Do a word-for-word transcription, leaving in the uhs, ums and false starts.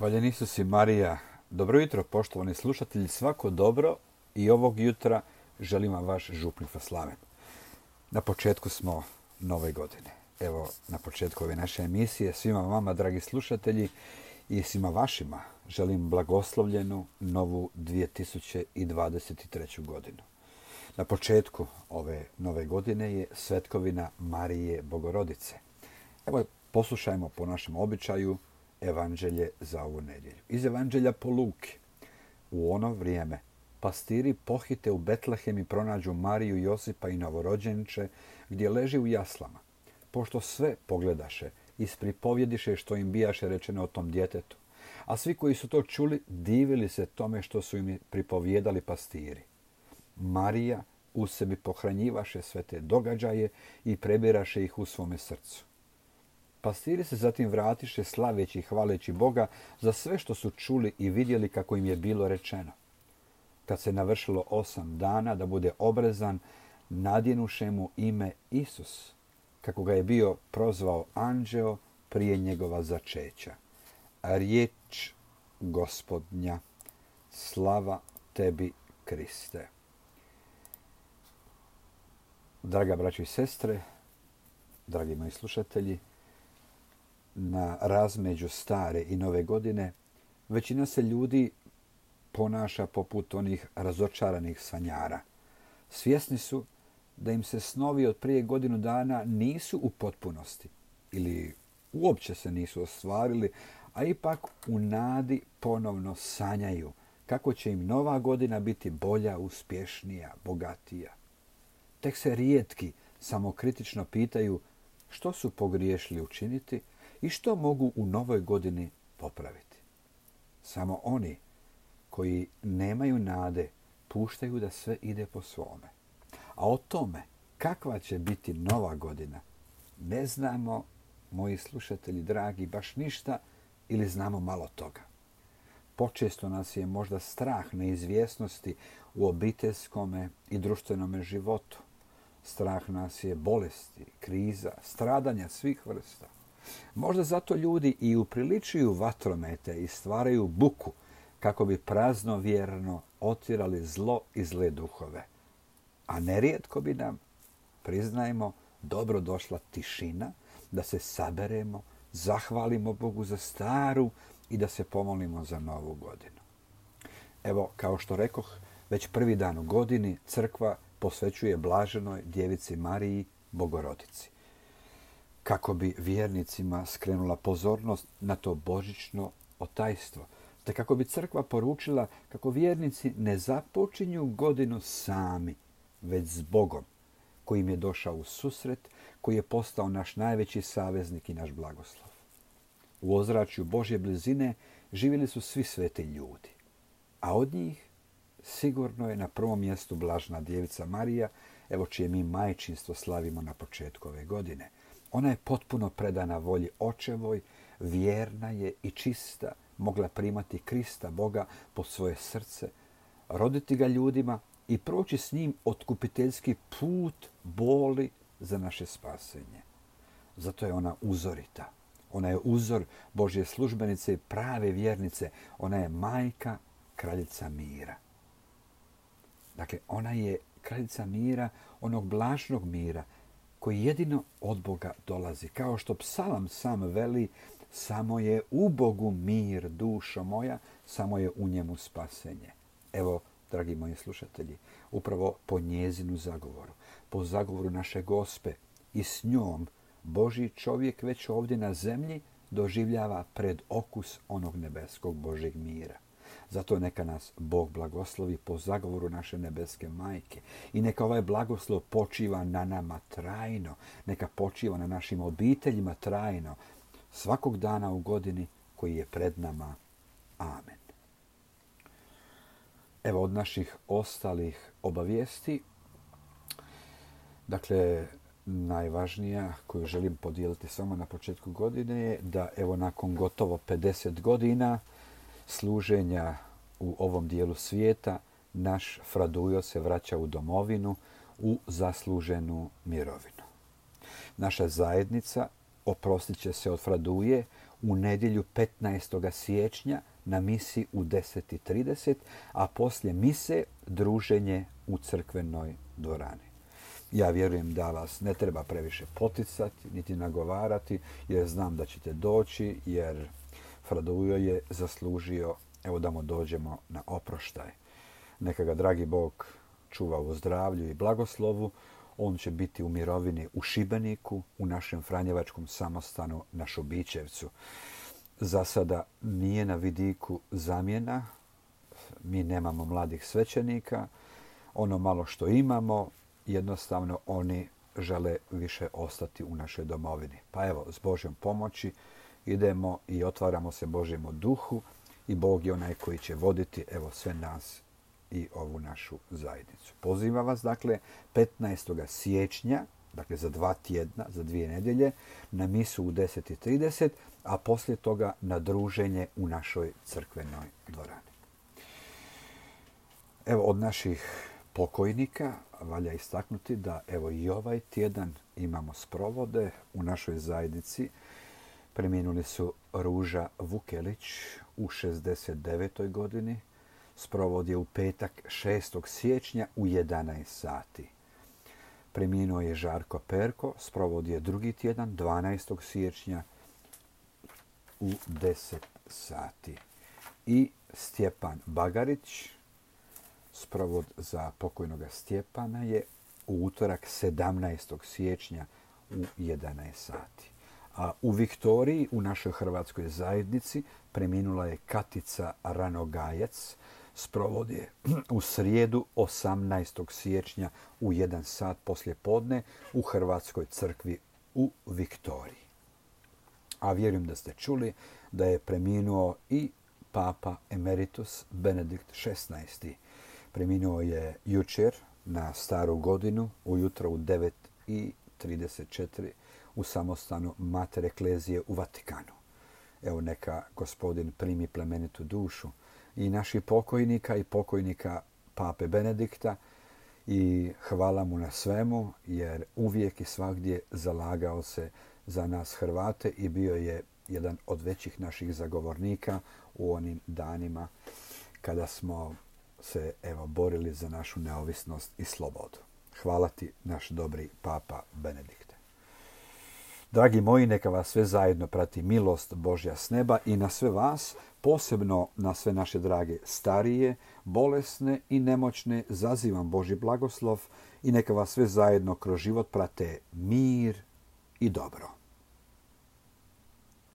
Hvaljen Isus i Marija. Dobro jutro, poštovani slušatelji. Svako dobro i ovog jutra želim vam vaš župnik Slaven. Na početku smo nove godine. Evo, na početku ove naše emisije svima vama, dragi slušatelji, i svima vašima želim blagoslovljenu novu dvije tisuće dvadeset treću godinu. Na početku ove nove godine je svetkovina Marije Bogorodice. Evo, poslušajmo po našem običaju evanđelje za ovu nedjelju. Iz evanđelja po Luki. U ono vrijeme pastiri pohite u Betlehem i pronađu Mariju, Josipa i novorođenče gdje leži u jaslama. Pošto sve pogledaše, ispripovjediše što im bijaše rečeno o tom djetetu. A svi koji su to čuli divili se tome što su im pripovjedali pastiri. Marija u sebi pohranjivaše sve te događaje i prebiraše ih u svome srcu. Pastiri se zatim vratiše slaveći i hvaleći Boga za sve što su čuli i vidjeli kako im je bilo rečeno. Kad se navršilo osam dana da bude obrezan, nadjenuše mu ime Isus, kako ga je bio prozvao anđeo prije njegova začeća. Riječ Gospodnja, slava tebi, Kriste. Draga braćo i sestre, dragi moji slušatelji, na razmeđu stare i nove godine većina se ljudi ponaša poput onih razočaranih sanjara. Svjesni su da im se snovi od prije godinu dana nisu u potpunosti ili uopće se nisu ostvarili, a ipak u nadi ponovno sanjaju kako će im nova godina biti bolja, uspješnija, bogatija. Tek se rijetki samokritično pitaju što su pogriješili učiniti i što mogu u novoj godini popraviti. Samo oni koji nemaju nade puštaju da sve ide po svome. A o tome kakva će biti nova godina ne znamo, moji slušatelji dragi, baš ništa ili znamo malo toga. Počesto nas je možda strah neizvjesnosti u obiteljskome i društvenome životu. Strah nas je bolesti, kriza, stradanja svih vrsta. Možda zato ljudi i upriličuju vatromete i stvaraju buku kako bi praznovjerno otjerali zlo i zle duhove. A nerijetko bi nam, priznajmo, dobro došla tišina da se saberemo, zahvalimo Bogu za staru i da se pomolimo za novu godinu. Evo, kao što rekoh, već prvi dan u godini crkva posvećuje blaženoj djevici Mariji Bogorodici, kako bi vjernicima skrenula pozornost na to božićno otajstvo, te kako bi crkva poručila kako vjernici ne započinju godinu sami, već s Bogom, koji im je došao u susret, koji je postao naš najveći saveznik i naš blagoslov. U ozračju Božje blizine živjeli su svi sveti ljudi, a od njih sigurno je na prvom mjestu blažena djevica Marija, evo čije mi majčinstvo slavimo na početku ove godine. Ona je potpuno predana volji očevoj, vjerna je i čista, mogla primati Krista, Boga, pod svoje srce, roditi ga ljudima i proći s njim otkupiteljski put boli za naše spasenje. Zato je ona uzorita. Ona je uzor Božje službenice i prave vjernice. Ona je majka, kraljica mira. Dakle, ona je kraljica mira, onog blažnog mira, koji jedino od Boga dolazi. Kao što psalam sam veli, samo je u Bogu mir, dušo moja, samo je u njemu spasenje. Evo, dragi moji slušatelji, upravo po njezinu zagovoru, po zagovoru naše Gospe i s njom Božji čovjek već ovdje na zemlji doživljava pred okus onog nebeskog Božjeg mira. Zato neka nas Bog blagoslovi po zagovoru naše nebeske majke i neka ovaj blagoslov počiva na nama trajno, neka počiva na našim obiteljima trajno, svakog dana u godini koji je pred nama. Amen. Evo od naših ostalih obavijesti, dakle, najvažnija koju želim podijeliti samo na početku godine je da evo nakon gotovo pedeset godina služenja u ovom dijelu svijeta, naš Fradujo se vraća u domovinu u zasluženu mirovinu. Naša zajednica oprostit će se od Fraduje u nedjelju petnaestog siječnja na misi u deset i trideset, a poslije mise druženje u crkvenoj dvorani. Ja vjerujem da vas ne treba previše poticati, niti nagovarati, jer znam da ćete doći, jer Fradujo je zaslužio, evo da mu dođemo na oproštaj. Neka ga dragi Bog čuva u zdravlju i blagoslovu. On će biti u mirovini u Šibeniku, u našem franjevačkom samostanu na Šubićevcu. Za sada nije na vidiku zamjena. Mi nemamo mladih svećenika. Ono malo što imamo, jednostavno oni žele više ostati u našoj domovini. Pa evo, s Božjom pomoći idemo i otvaramo se Božjemu duhu i Bog je onaj koji će voditi evo sve nas i ovu našu zajednicu. Pozivam vas, dakle, petnaestog siječnja, dakle za dva tjedna, za dvije nedjelje, na misu u deset i trideset, a poslije toga na druženje u našoj crkvenoj dvorani. Evo, od naših pokojnika valja istaknuti da evo i ovaj tjedan imamo sprovode u našoj zajednici. Preminuli su Ruža Vukelić u šezdeset devetoj godini. Sprovod je u petak šestog siječnja u jedanaest sati. Preminuo je Žarko Perko. Sprovod je drugi tjedan, dvanaestog siječnja u deset sati. I Stjepan Bagarić. Sprovod za pokojnog Stjepana je u utorak sedamnaestog siječnja u jedanaest sati. A u Viktoriji, u našoj hrvatskoj zajednici, preminula je Katica Ranogajac. Sprovod je u srijedu osamnaestog siječnja u jedan sat poslije podne u Hrvatskoj crkvi u Viktoriji. A vjerujem da ste čuli da je preminuo i Papa Emeritus Benedikt šesnaesti. Preminuo je jučer na staru godinu, ujutro u devet i trideset četiri u samostanu Mater Eklezije u Vatikanu. Evo, neka Gospodin primi plemenitu dušu i naših pokojnika i pokojnika Pape Benedikta i hvala mu na svemu, jer uvijek i svagdje zalagao se za nas Hrvate i bio je jedan od većih naših zagovornika u onim danima kada smo se evo borili za našu neovisnost i slobodu. Hvala ti, naš dobri Papa Benedikte. Dragi moji, neka vas sve zajedno prati milost Božja s neba i na sve vas, posebno na sve naše drage starije, bolesne i nemoćne, zazivam Božji blagoslov i neka vas sve zajedno kroz život prate mir i dobro.